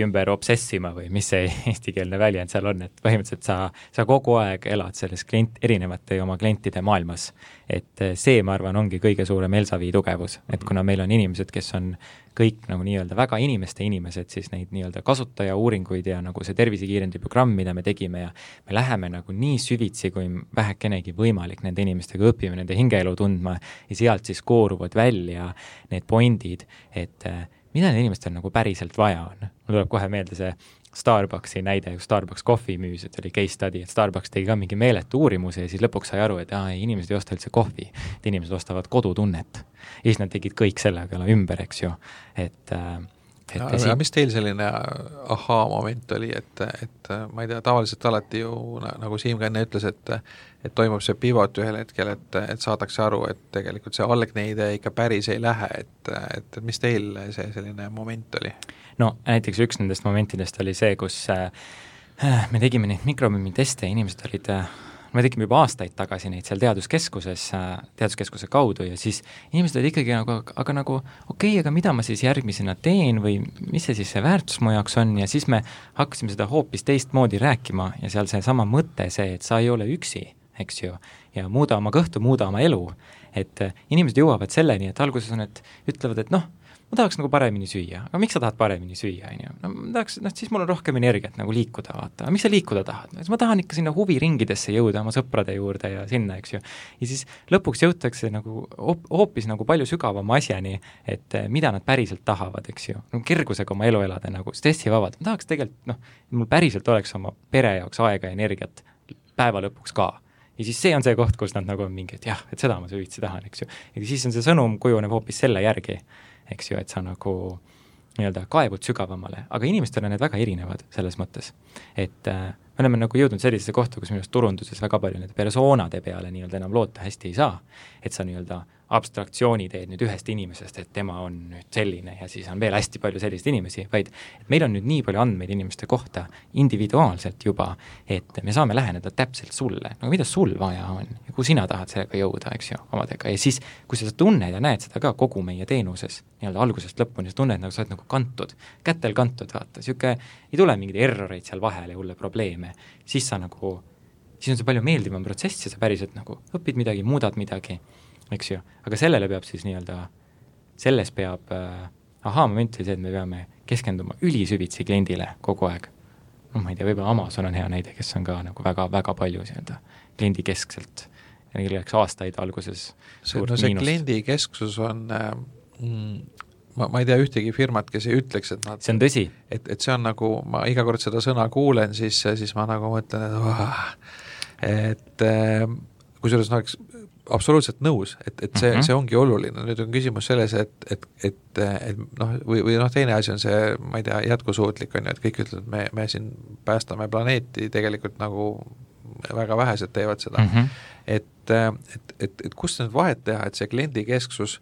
ümber obsessima või mis see eestikeelne väljend seal on, et põhimõtteliselt sa kogu aeg elad selles erinevate oma klientide maailmas. Et see, ma arvan, ongi kõige suurem Elsavi tugevus, et kuna meil on inimesed, kes on kõik nagu nii-öelda väga inimesed, siis neid nii-öelda kasutaja uuringuid ja nagu see tervisekiirendi programm, mida me tegime ja me läheme nagu nii süvitsi, kui vähekenegi võimalik nende inimestega õpime, nende hingeelu tundma ja sealt siis kooruvad välja need pointid, et mida need inimestel nagu päriselt vaja on. Mul tuleb kohe meelde see Starbucksi näide, kui Starbucks kohvi müüs, et oli case study, et Starbucks tegi ka mingi meeletu uurimuse ja siis lõpuks sai aru, et inimesed ei osta üldse kohvi, et inimesed ostavad kodutunnet. Ja siis nad tegid kõik sellega ümber, eks ju. Ja mis teil selline moment oli, et ma ei tea, tavaliselt alati ju, nagu Siim ka enne ütles, et toimub see pivot ühel hetkel, et saadakse aru, et tegelikult see algne idee ikka päris ei lähe, et mis teil see selline moment oli? No näiteks üks nendest momentidest oli see, kus me tegime neid mikrobiomiteste ja inimesed olid me tegime juba aastaid tagasi neid seal teaduskeskuse kaudu ja siis inimesed olid ikkagi nagu aga mida ma siis järgmisena teen või mis see siis see väärtus mu jaoks on ja siis me hakkasime seda hoopis teistmoodi rääkima ja seal see sama mõte see, et sa ei ole üksi, eks ju, ja muuda oma kõhtu, muuda oma elu, et inimesed jõuavad selleni, et alguses on, et ütlevad, et ma tahaks nagu paremini süüa, aga miks sa tahad paremini süüa, on ju? Ma tahaks, siis mul on rohkem energiat nagu liikuda, vaata. Aga miks sa liikuda tahad? Ma tahan ikka sinna huviringidesse jõuda oma sõprade juurde ja sinna, eks ju. Ja siis lõpuks jõutakse nagu hoopis nagu palju sügavama asjani, et mida nad päriselt tahavad, eks ju. Nagu kergusega oma elu elada, nagu stressivabad. Ma tahaks tegelikult, mul päriselt oleks oma pere jaoks aega ja energiat päeva lõpuks ka. Ja siis see on see koht, kus nad nagu on mingi, et jah, et seda ma süvitsi tahan, eks ju. Ja siis on see sõnum kujuneb hoopis selle järgi, eks ju, et sa nagu nii-öelda kaevud sügavamale, aga inimestel on need väga erinevad selles mõttes, et me oleme nagu jõudnud sellisesse kohta, kus minu arust turunduses väga palju need persoonade peale nii-öelda enam loota hästi ei saa, et sa nii-öelda abstraktsiooni teed nüüd ühest inimesest, et tema on nüüd selline ja siis on veel hästi palju selliseid inimesi, vaid et meil on nüüd nii palju andmeid inimeste kohta individuaalselt juba, et me saame läheneda täpselt sulle, no mida sul vaja on ja kuhu sina tahad sellega jõuda, eks ju, omadega ja siis, kui sa tunned ja näed seda ka kogu meie teenuses, nii-öelda algusest lõpuni, sa tunned, nagu sa oled nagu kantud, kätel kantud, vaata, siuke ei tule mingeid erroreid seal vahele ja hulle probleeme, siis on see palju meeldivam protsess ja sa päriselt nagu õpid midagi, muudad midagi, eks ju, aga sellele peab siis nii-öelda, selles peab moment oli see, et me peame keskenduma ülisüvitsi kliendile kogu aeg. Ma ei tea, võib-olla Amazon on hea näide, kes on ka nagu väga palju kliendi keskselt ja neil läks aastaid alguses suurt miinust. Kliendi kesksus on ma ei tea ühtegi firmat, kes ei ütleks, et nad see on tõsi. Et see on nagu, ma iga kord seda sõna kuulen, siis ma nagu mõtlen, et kusjuures oleks absoluutselt nõus, et see ongi oluline, nüüd on küsimus selles, et noh, või noh, teine asi on see, ma ei tea, jätkusuutlik on ju, et kõik ütlevad, me siin päästame planeeti, tegelikult nagu väga vähesed teevad seda. Et kust nüüd vahet teha, et see kliendikesksus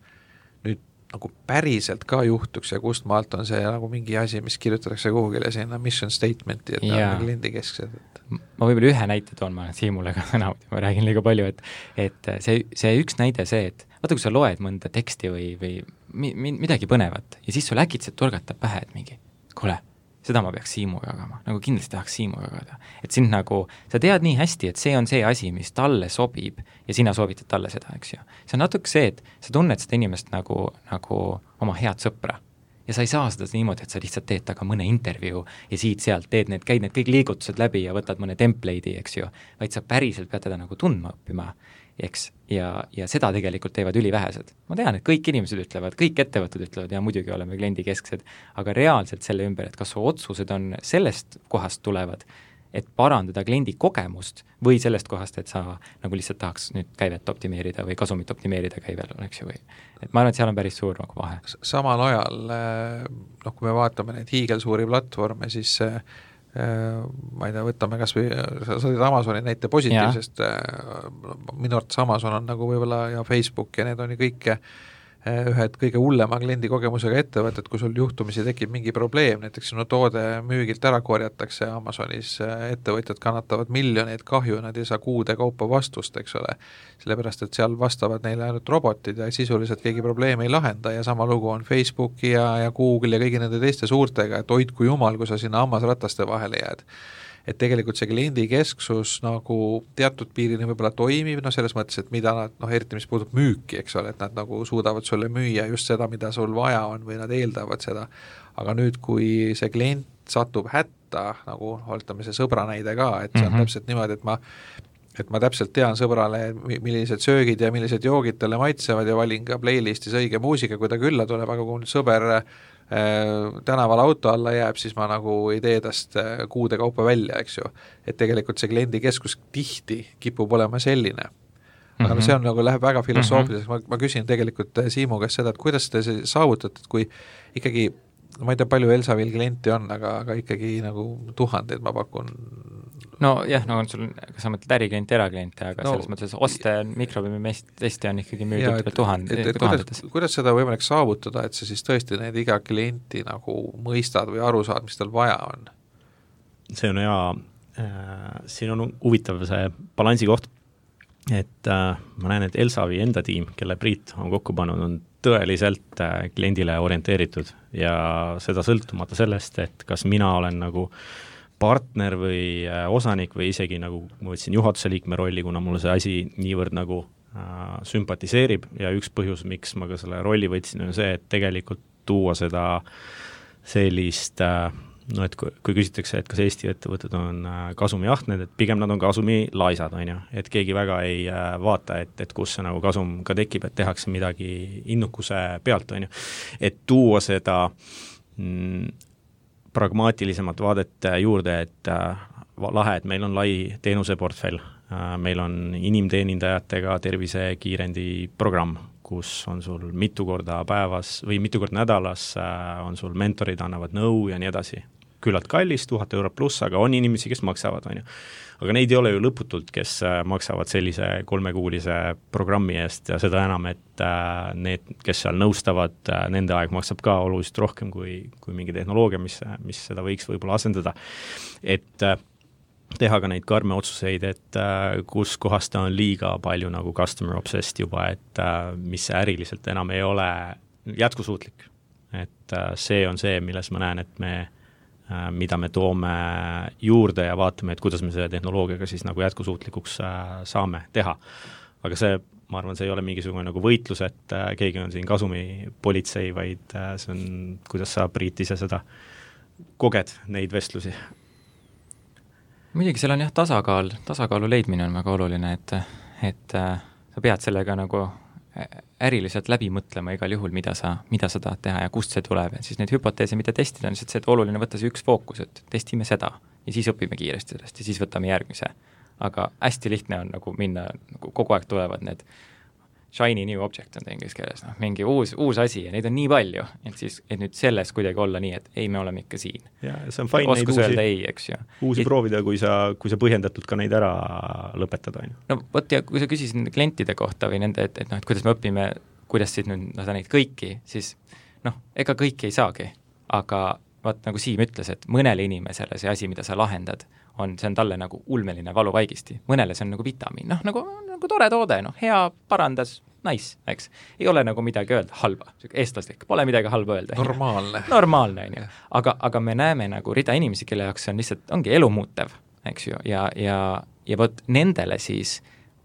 nüüd nagu päriselt ka juhtuks ja kust maalt on see nagu mingi asi, mis kirjutatakse kuhugile sinna mission statementi, et ta on kliendikesksed. Ma võib-olla ühe näite toon, ma Siimule ka täna, ma räägin liiga palju, et see üks näide see, et vaata, kui sa loed mõnda teksti või midagi põnevat ja siis sul äkitselt torgatab pähe, et mingi, kuule, seda ma peaks Siimuga jagama, nagu kindlasti tahaks Siimuga jagada. Et sind nagu, sa tead nii hästi, et see on see asi, mis talle sobib ja sina soovitad talle seda, eks ju. See on natuke see, et sa tunned seda inimest nagu oma head sõpra. Ja sa ei saa seda niimoodi, et sa lihtsalt teed taga mõne intervjuu ja siit-sealt käid need kõik liigutused läbi ja võtad mõne template'i, eks ju, vaid sa päriselt pead teda nagu tundma õppima, eks, ja seda tegelikult teevad ülivähesed. Ma tean, et kõik inimesed ütlevad, kõik ettevõtted ütlevad ja muidugi oleme kliendikesksed, aga reaalselt selle ümber, et kas su otsused on sellest kohast tulevad, et parandada kliendi kogemust või sellest kohast, et sa nagu lihtsalt tahaks nüüd käivet optimeerida või kasumit optimeerida käivel, eks ju, või et ma arvan, et seal on päris suur nagu vahe. Samal ajal, noh, kui me vaatame neid hiigelsuuri platvorme, siis ma ei tea, võtame kas või, sa olid Amazoni näite positiivsest, minu arvates Amazon on nagu võib-olla ja Facebook ja need on ju kõik ühed kõige hullema kliendi kogemusega ettevõtted, kui sul juhtumisi tekib mingi probleem, näiteks sinu toode müügilt ära korjatakse Amazonis, ettevõtjad kannatavad miljoneid kahju, nad ei saa kuude kaupa vastust, eks ole, sellepärast, et seal vastavad neile ainult robotid ja sisuliselt keegi probleemi ei lahenda ja sama lugu on Facebooki ja Google ja kõigi nende teiste suurtega, et hoidku jumal, kui sa sinna hammasrataste vahele jääd. Et tegelikult see kliendikesksus nagu teatud piirini võib-olla toimib, no selles mõttes, et mida nad, noh, eriti mis puudub müüki, eks ole, et nad nagu suudavad sulle müüa just seda, mida sul vaja on või nad eeldavad seda, aga nüüd, kui see klient satub hätta, nagu oltame see sõbra näide ka, et see on täpselt niimoodi, et ma täpselt tean sõbrale, millised söögid ja millised joogid talle maitsevad ja valin ka playlistis õige muusika, kui ta külla tuleb, aga kui sõber tänaval auto alla jääb, siis ma nagu ei tee tast kuude kaupa välja, eks ju. Et tegelikult see kliendikeskus tihti kipub olema selline. Aga no see on nagu, läheb väga filosoofiliseks, ma küsin tegelikult Siimu käest seda, et kuidas te saavutate, et kui ikkagi, ma ei tea, palju Elsavil klienti on, aga ikkagi nagu tuhandeid ma pakun. No jah, no on sul, kas sa mõtled äriklient, eraklient, aga selles mõttes oste mikrobiimistesti on ikkagi müüdud tuhandetes. Kuidas seda võimalik saavutada, et sa siis tõesti need iga klienti nagu mõistad või aru saad, mis tal vaja on? See on hea, siin on huvitav see balansi koht, et ma näen, et Elsavi enda tiim, kelle Priit on kokku pannud, on tõeliselt kliendile orienteeritud ja seda sõltumata sellest, et kas mina olen nagu partner või osanik või isegi nagu ma võtsin juhatuse liikme rolli, kuna mulle see asi niivõrd nagu sümpatiseerib ja üks põhjus, miks ma ka selle rolli võtsin, on see, et tegelikult tuua seda sellist, no et kui küsitakse, et kas Eesti ettevõtted on kasumiahned, et pigem nad on kasumilaisad, on ju, et keegi väga ei vaata, et kus see nagu kasum ka tekib, et tehakse midagi innukuse pealt, on ju, et tuua seda pragmaatilisemat vaadet juurde, et lahe, et meil on lai teenuseportfell, meil on inimteenindajatega tervisekiirendi programm, kus on sul mitu korda päevas või mitu korda nädalas on sul mentorid, annavad nõu ja nii edasi. Küllalt kallis, 1000 € pluss, aga on inimesi, kes maksavad, on ju. Aga neid ei ole ju lõputult, kes maksavad sellise 3-kuulise programmi eest ja seda enam, et need, kes seal nõustavad, nende aeg maksab ka oluliselt rohkem kui mingi tehnoloogia, mis seda võiks võib-olla asendada. Et teha ka neid karme otsuseid, et kus kohas ta on liiga palju nagu customer obsessed juba, et mis äriliselt enam ei ole jätkusuutlik. Et see on see, milles ma näen, et mida me toome juurde ja vaatame, et kuidas me selle tehnoloogiaga siis nagu jätkusuutlikuks saame teha. Aga see, ma arvan, see ei ole mingisugune nagu võitlus, et keegi on siin kasumipolitsei, vaid see on, kuidas sa, Priit, ise seda koged neid vestlusi. Muidugi seal on jah tasakaalu leidmine on väga oluline, et sa pead sellega nagu äriliselt läbi mõtlema igal juhul, mida sa tahad teha ja kust see tuleb ja siis neid hüpoteese, mida testida, on lihtsalt see, et oluline võtta see üks fookus, et testime seda ja siis õpime kiiresti sellest ja siis võtame järgmise. Aga hästi lihtne on nagu minna, nagu kogu aeg tulevad need shiny new object on ta inglise keeles, mingi uus asi ja neid on nii palju, et nüüd selles kuidagi olla nii, et ei, me oleme ikka siin. Ja see on fine neid uusi proovida, kui sa põhjendatult ka neid ära lõpetada. No vot, ja kui sa küsisid klientide kohta või nende, et kuidas me õpime, kuidas siis nüüd neid kõiki, siis ega kõiki ei saagi, aga vaat nagu Siim ütles, et mõnele inimesele see asi, mida sa lahendad, see on talle nagu ulmeline valuvaigisti, mõnele see on nagu vitamiin, nagu tore toode, hea, parandas, nice, eks. Ei ole nagu midagi öelda, halba, eestlaslik, pole midagi halba öelda. Normaalne, on ju. Aga me näeme nagu rida inimesi, kelle jaoks see on lihtsalt, ongi elumuutev, eks ju, ja vot nendele siis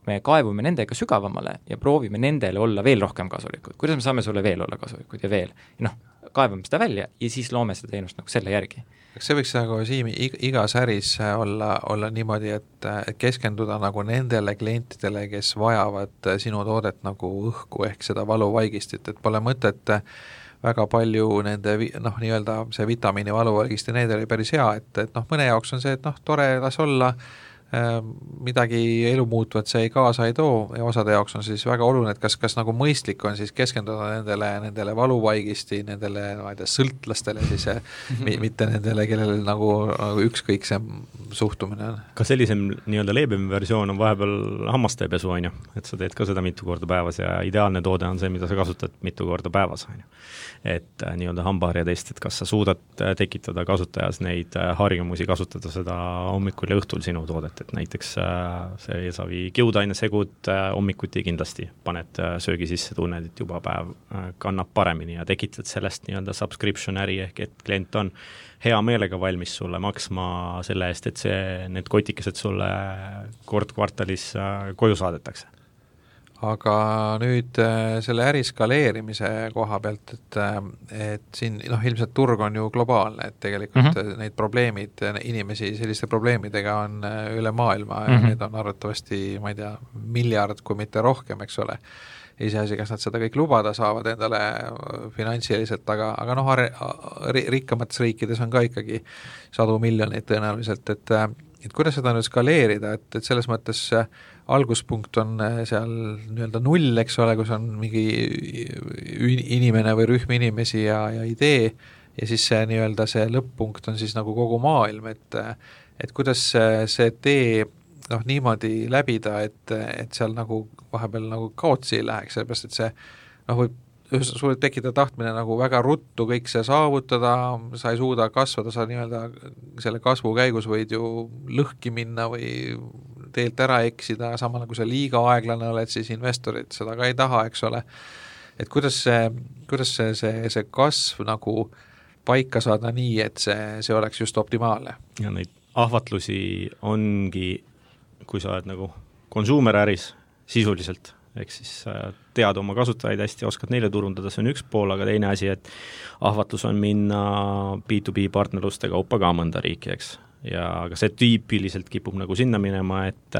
me kaevume nendega sügavamale ja proovime nendele olla veel rohkem kasulikud. Kuidas me saame sulle veel olla kasulikud ja veel? Kaevame seda välja ja siis loome seda teenust nagu selle järgi. Kas see võiks nagu Siimi igas äris olla niimoodi, et keskenduda nagu nendele klientidele, kes vajavad sinu toodet nagu õhku ehk seda valuvaigistit, et pole mõtet väga palju nende nii-öelda see vitamiini valuvaigisti, need oli päris hea, et mõne jaoks on see, et tore, las olla, midagi elumuutvat see kaasa ei too ja osade jaoks on siis väga oluline, et kas nagu mõistlik on siis keskenduda nendele valuvaigisti, nendele sõltlastele siis mitte nendele, kellel nagu ükskõik see suhtumine on. Ka sellisem nii-öelda leebem versioon on vahepeal hammastepesu, on ju, et sa teed ka seda mitu korda päevas ja ideaalne toode on see, mida sa kasutad mitu korda päevas, on ju. Et nii-öelda hambaharjatest, et kas sa suudad tekitada kasutajas neid harjumusi, kasutada seda hommikul ja õhtul sinu toodet, et näiteks see eesavi kiudainesegud hommikuti kindlasti paned söögi sisse, tunned, et juba päev kannab paremini ja tekitad sellest nii-öelda subscription äri ehk et klient on hea meelega valmis sulle maksma selle eest, et need kotikesed sulle kord kvartalis koju saadetakse. Aga nüüd selle äri skaleerimise koha pealt, et siin ilmselt turg on ju globaalne, et tegelikult neid probleemid, inimesi selliste probleemidega on üle maailma ja need on arvatavasti, ma ei tea, miljard, kui mitte rohkem, eks ole. Iseasi, kas nad seda kõik lubada saavad endale finantsiliselt, aga rikkamates riikides on ka ikkagi 100 miljoneid tõenäoliselt, et kuidas seda nüüd skaleerida, et selles mõttes alguspunkt on seal nii-öelda null, eks ole, kus on mingi inimene või rühm inimesi ja idee ja siis see nii-öelda see lõpp-punkt on siis nagu kogu maailm, et kuidas see tee niimoodi läbida, et seal nagu vahepeal nagu kaotsi ei läheks, sellepärast et see võib sul tekitada tahtmine nagu väga ruttu kõik see saavutada, sa ei suuda kasvada, sa nii-öelda selle kasvu käigus võid ju lõhki minna või teelt ära eksida, samal kui sa liiga aeglane oled, siis investorid seda ka ei taha, eks ole. Et kuidas see kasv nagu paika saada nii, et see oleks just optimaalne? Ja neid ahvatlusi ongi, kui sa oled nagu konsuumeräris sisuliselt, ehk siis tead oma kasutajaid hästi, oskad neile turundada, see on üks pool, aga teine asi, et ahvatlus on minna B2B partnerluste kaupa ka mõnda riiki, eks. Ja aga see tüüpiliselt kipub nagu sinna minema, et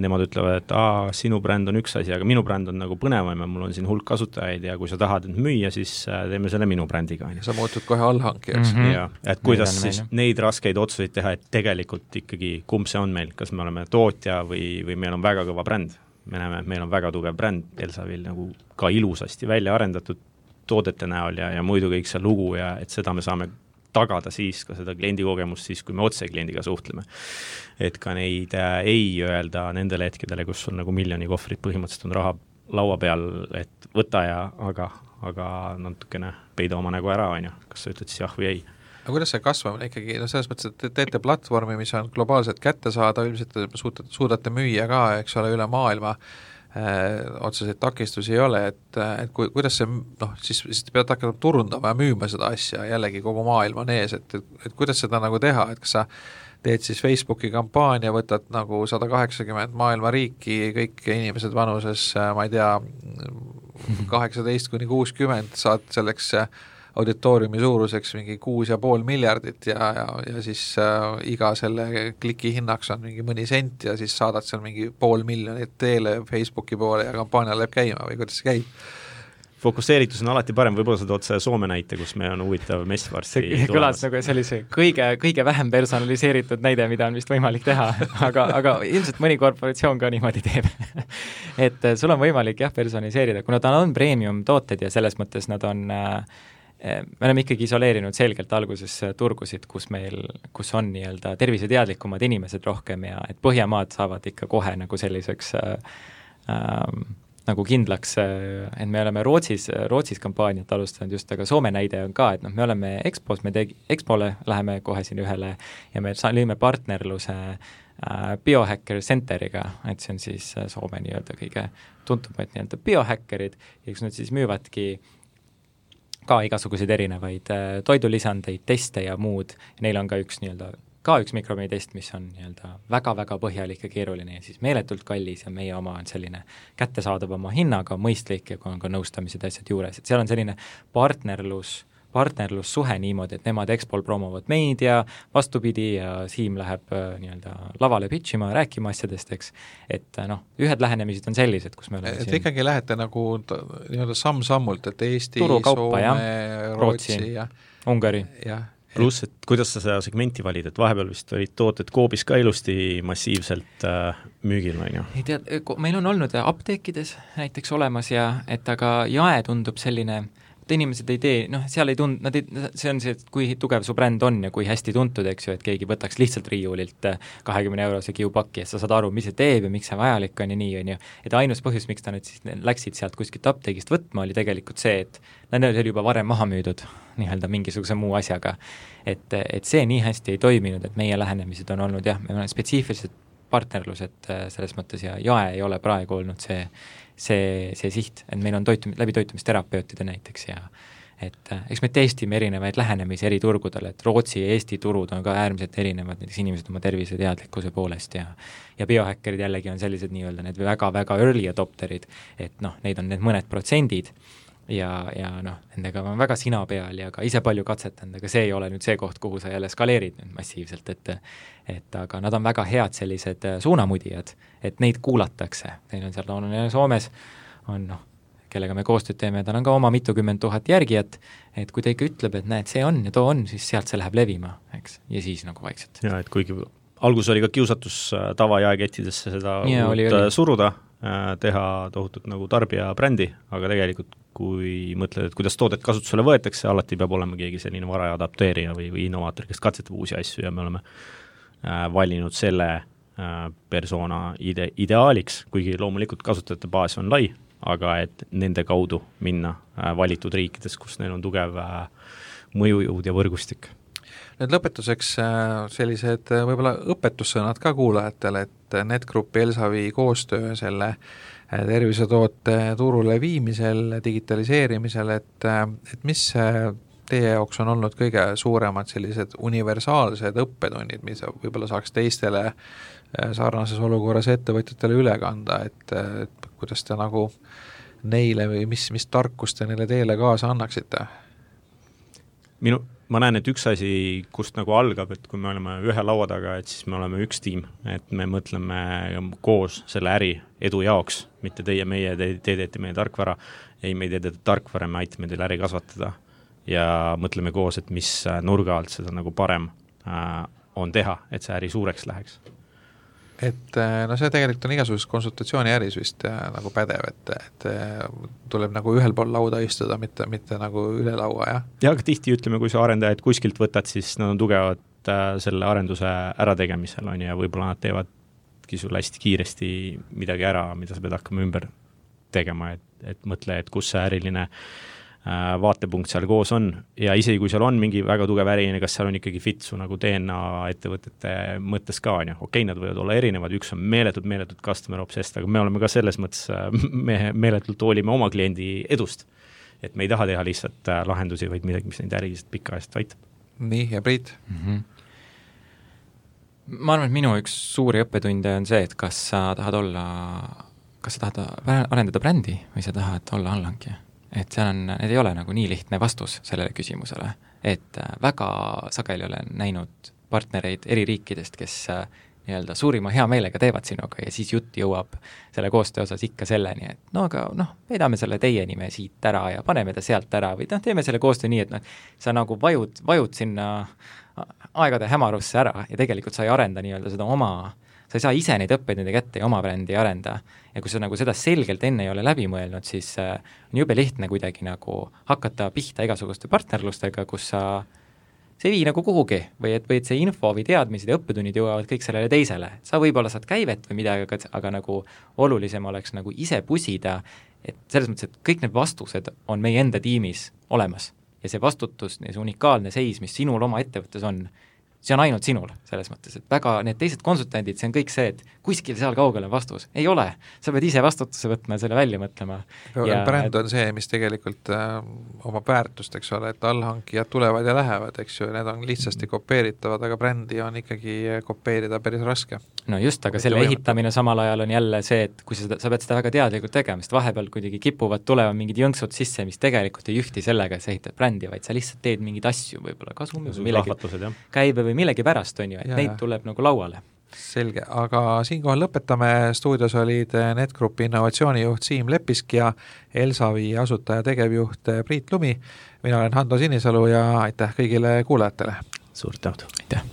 nemad ütlevad, et sinu bränd on üks asi, aga minu bränd on nagu põnevam ja mul on siin hulk kasutajaid ja kui sa tahad müüa, siis teeme selle minu brändiga. Sa muutud kohe allhankijaks. Ja, et kuidas siis neid raskeid otsuseid teha, et tegelikult ikkagi kumb see on meil, kas me oleme tootja või meil on väga kõva bränd. Me näeme, et meil on väga tugev bränd, Elsavil nagu ka ilusasti välja arendatud toodete näol ja muidu kõik see lugu ja et seda me saame tagada siis ka seda kliendikogemust siis, kui me otse kliendiga suhtleme. Et ka neid ei öelda nendele hetkedele, kus sul nagu miljoni kohvrit põhimõtteliselt on raha laua peal, et võta ja aga natukene peida oma nägu ära, on ju. Kas sa ütled siis jah või ei? Aga kuidas see kasvamine ikkagi, selles mõttes, et teete platvormi, mis on globaalselt kätte saada, ilmselt suudate müüa ka, eks ole, üle maailma, otseseid takistusi ei ole, et kuidas see, siis pead hakkama turundama ja müüma seda asja, jällegi kogu maailm on ees, et kuidas seda nagu teha, et kas sa teed siis Facebooki kampaania, võtad nagu 180 maailma riiki, kõik inimesed vanuses, ma ei tea, 18-60, saad selleks auditooriumi suuruseks mingi 6,5 miljardit ja siis iga selle kliki hinnaks on mingi mõni sent ja siis saadad seal mingi 500,000 teele Facebooki poole ja kampaania läheb käima või kuidas see käib? Fokusseeritus on alati parem, võib-olla sa tood see Soome näite, kus meil on huvitav mess varsti tulemas. Kõlas nagu sellise kõige vähem personaliseeritud näide, mida on vist võimalik teha, aga ilmselt mõni korporatsioon ka niimoodi teeb. Et sul on võimalik personaliseerida, kuna ta on premium tooted ja selles mõttes nad on me oleme ikkagi isoleerinud selgelt alguses turgusid, kus on nii-öelda terviseteadlikumad inimesed rohkem ja et Põhjamaad saavad ikka kohe nagu selliseks nagu kindlaks, et me oleme Rootsis kampaaniat alustanud just, aga Soome näide on ka, et me oleme Expole läheme kohe siin ühele ja me lõime partnerluse Biohacker Centeriga, et see on siis Soome nii-öelda kõige tuntumad nii-öelda biohäkkerid ja kus nad siis müüvadki ka igasuguseid erinevaid toidulisandeid, teste ja muud, ja neil on ka üks mikrobiomitest, mis on nii-öelda väga-väga põhjalik ja keeruline ja siis meeletult kallis ja meie oma on selline kättesaadavama hinnaga, mõistlik ja on ka nõustamised asjad juures, et seal on selline partnerlussuhe niimoodi, et nemad Expol promovad meid ja vastupidi ja Siim läheb nii-öelda lavale pitchima, rääkima asjadest, eks, et ühed lähenemised on sellised, kus me oleme et siin ikkagi lähete nagu nii-öelda samm-sammult, et Eesti, Soome, Rootsi ja Ungari. Pluss, et kuidas sa seda segmenti valid, et vahepeal vist olid tooted Coopis ka ilusti massiivselt müügil, on ju? Ei tea, meil on olnud apteekides näiteks olemas ja et aga jae tundub selline, et inimesed ei tee, seal ei see on see, et kui tugev su bränd on ja kui hästi tuntud, eks ju, et keegi võtaks lihtsalt riiulilt 20 € kiupakki ja sa saad aru, mis see teeb ja miks see vajalik on ja nii, on ju. Et ainus põhjus, miks ta nüüd siis läksid sealt kuskilt apteegist võtma, oli tegelikult see, et nad oli juba varem maha müüdud nii-öelda mingisuguse muu asjaga. Et see nii hästi ei toiminud, et meie lähenemised on olnud me oleme spetsiifilised partnerlused selles mõttes ja jae ei ole praegu olnud see siht, et meil on läbi toitumisterapeutide näiteks ja et eks me testime erinevaid lähenemisi eri turgudel, et Rootsi ja Eesti turud on ka äärmiselt erinevad, näiteks inimesed oma terviseteadlikkuse poolest ja biohäkkerid jällegi on sellised nii-öelda need väga-väga early adopterid, et neid on need mõned protsendid ja nendega on väga sina peal ja ka ise palju katsetanud, aga see ei ole nüüd see koht, kuhu sa jälle skaleerid nüüd massiivselt, et aga nad on väga head sellised suunamudijad, et neid kuulatakse, neil on seal Soomes on kellega me koostööd teeme, tal on ka oma mitukümmend tuhat järgijat, et kui ta ikka ütleb, et näed, see on ja too on, siis sealt see läheb levima, eks, ja siis nagu vaikselt. Ja et kuigi algus oli ka kiusatus tavajaekettidesse seda oli. Suruda, teha tohutut nagu tarbija brändi, aga tegelikult kui mõtled, et kuidas toodet kasutusele võetakse, alati peab olema keegi selline varaja adapteerija või innovaator, kes katsetab uusi asju ja me oleme valinud selle persona ideaaliks, kuigi loomulikult kasutajate baas on lai, aga et nende kaudu minna valitud riikides, kus neil on tugev mõjujõud ja võrgustik. Nüüd lõpetuseks sellised võib-olla õpetussõnad ka kuulajatele, et NetGroup Elsavi koostöö selle tervisetoote turule viimisel, digitaliseerimisel, et mis teie jaoks on olnud kõige suuremad sellised universaalsed õppetunnid, mis võib-olla saaks teistele sarnases olukorras ettevõtjatele üle kanda, et kuidas te nagu neile või mis tarkust te neile teele kaasa annaksite? Ma näen, et üks asi, kust nagu algab, et kui me oleme ühe laua taga, et siis me oleme üks tiim, et me mõtleme koos selle äri edu jaoks, mitte meie, te teete meie tarkvara, ei, me ei teete tarkvara, me aitame teil äri kasvatada ja mõtleme koos, et mis nurga alt seda nagu parem on teha, et see äri suureks läheks. Et see tegelikult on igasugusest konsultatsiooni äris vist nagu pädev, et tuleb nagu ühel pool lauda istuda, mitte nagu üle laua, jah? Ja, aga tihti ütleme, kui sa arendajad kuskilt võtad, siis nad on tugevad selle arenduse ärategemisel, on ja võib-olla nad teevadki sulle hästi kiiresti midagi ära, mida sa pead hakkama ümber tegema, et mõtle, et kus see äriline vaatepunkt seal koos on ja isegi kui seal on mingi väga tugev äriline, kas seal on ikkagi fit su nagu DNA ettevõtete mõttes ka, on ju, okei, nad võivad olla erinevad, üks on meeletult customer obsessed, aga me oleme ka selles mõttes, me meeletult hoolime oma kliendi edust, et me ei taha teha lihtsalt lahendusi, vaid midagi, mis neid äriliselt pikaajast aitab. Nii, ja Priit? Ma arvan, et minu üks suuri õppetunde on see, et kas sa tahad arendada brändi või sa tahad olla allhankija. et seal on, need ei ole nagu nii lihtne vastus sellele küsimusele, et väga sageli olen näinud partnereid eri riikidest, kes nii-öelda suurima hea meelega teevad sinuga ja siis jutt jõuab selle koostöö osas ikka selleni, et no aga veedame selle teie nime siit ära ja paneme ta sealt ära või teeme selle koostöö nii, et sa nagu vajud sinna aegade hämarusse ära ja tegelikult sa ei arenda nii-öelda seda sa ei saa ise neid õppeid nende kätte ja oma brändi ei arenda. Ja kui sa nagu seda selgelt enne ei ole läbi mõelnud, siis on jube lihtne kuidagi nagu hakata pihta igasuguste partnerlustega, kus see ei vii nagu kuhugi või et see info või teadmised ja õppetunnid jõuavad kõik sellele teisele. Sa võib-olla saad käivet või midagi, aga nagu olulisem oleks nagu ise pusida, et selles mõttes, et kõik need vastused on meie enda tiimis olemas ja see vastutus, see unikaalne seis, mis sinul oma ettevõttes on, see on ainult sinul, selles mõttes, et väga need teised konsultandid, see on kõik see, et kuskil seal kaugel on vastus. Ei ole, sa pead ise vastutuse võtma ja selle välja mõtlema. Bränd on see, mis tegelikult oma väärtust, eks ole, et allhankijad tulevad ja lähevad, eks ju, need on lihtsasti kopeeritavad, aga brändi on ikkagi kopeerida päris raske. No just, aga selle ehitamine samal ajal on jälle see, et kui sa pead seda väga teadlikult tegema, sest vahepeal kuidagi kipuvad tulema mingid jõnksud sisse, mis tegelikult ei ühti sellega, et sa ehitad brändi, vaid sa lihtsalt teed mingeid asju, võib-olla kasumi või millegi käibe või millegi pärast, on ju, et neid tuleb nagu lauale. Selge, aga siinkohal lõpetame. Stuudios olid NetGroupi innovatsioonijuht Siim Lepisk ja Elsavi asutaja tegevjuht Priit Lumi. Mina olen Hando Sinisalu ja aitäh kõigile kuulajatele. Suurt tänud. Aitäh.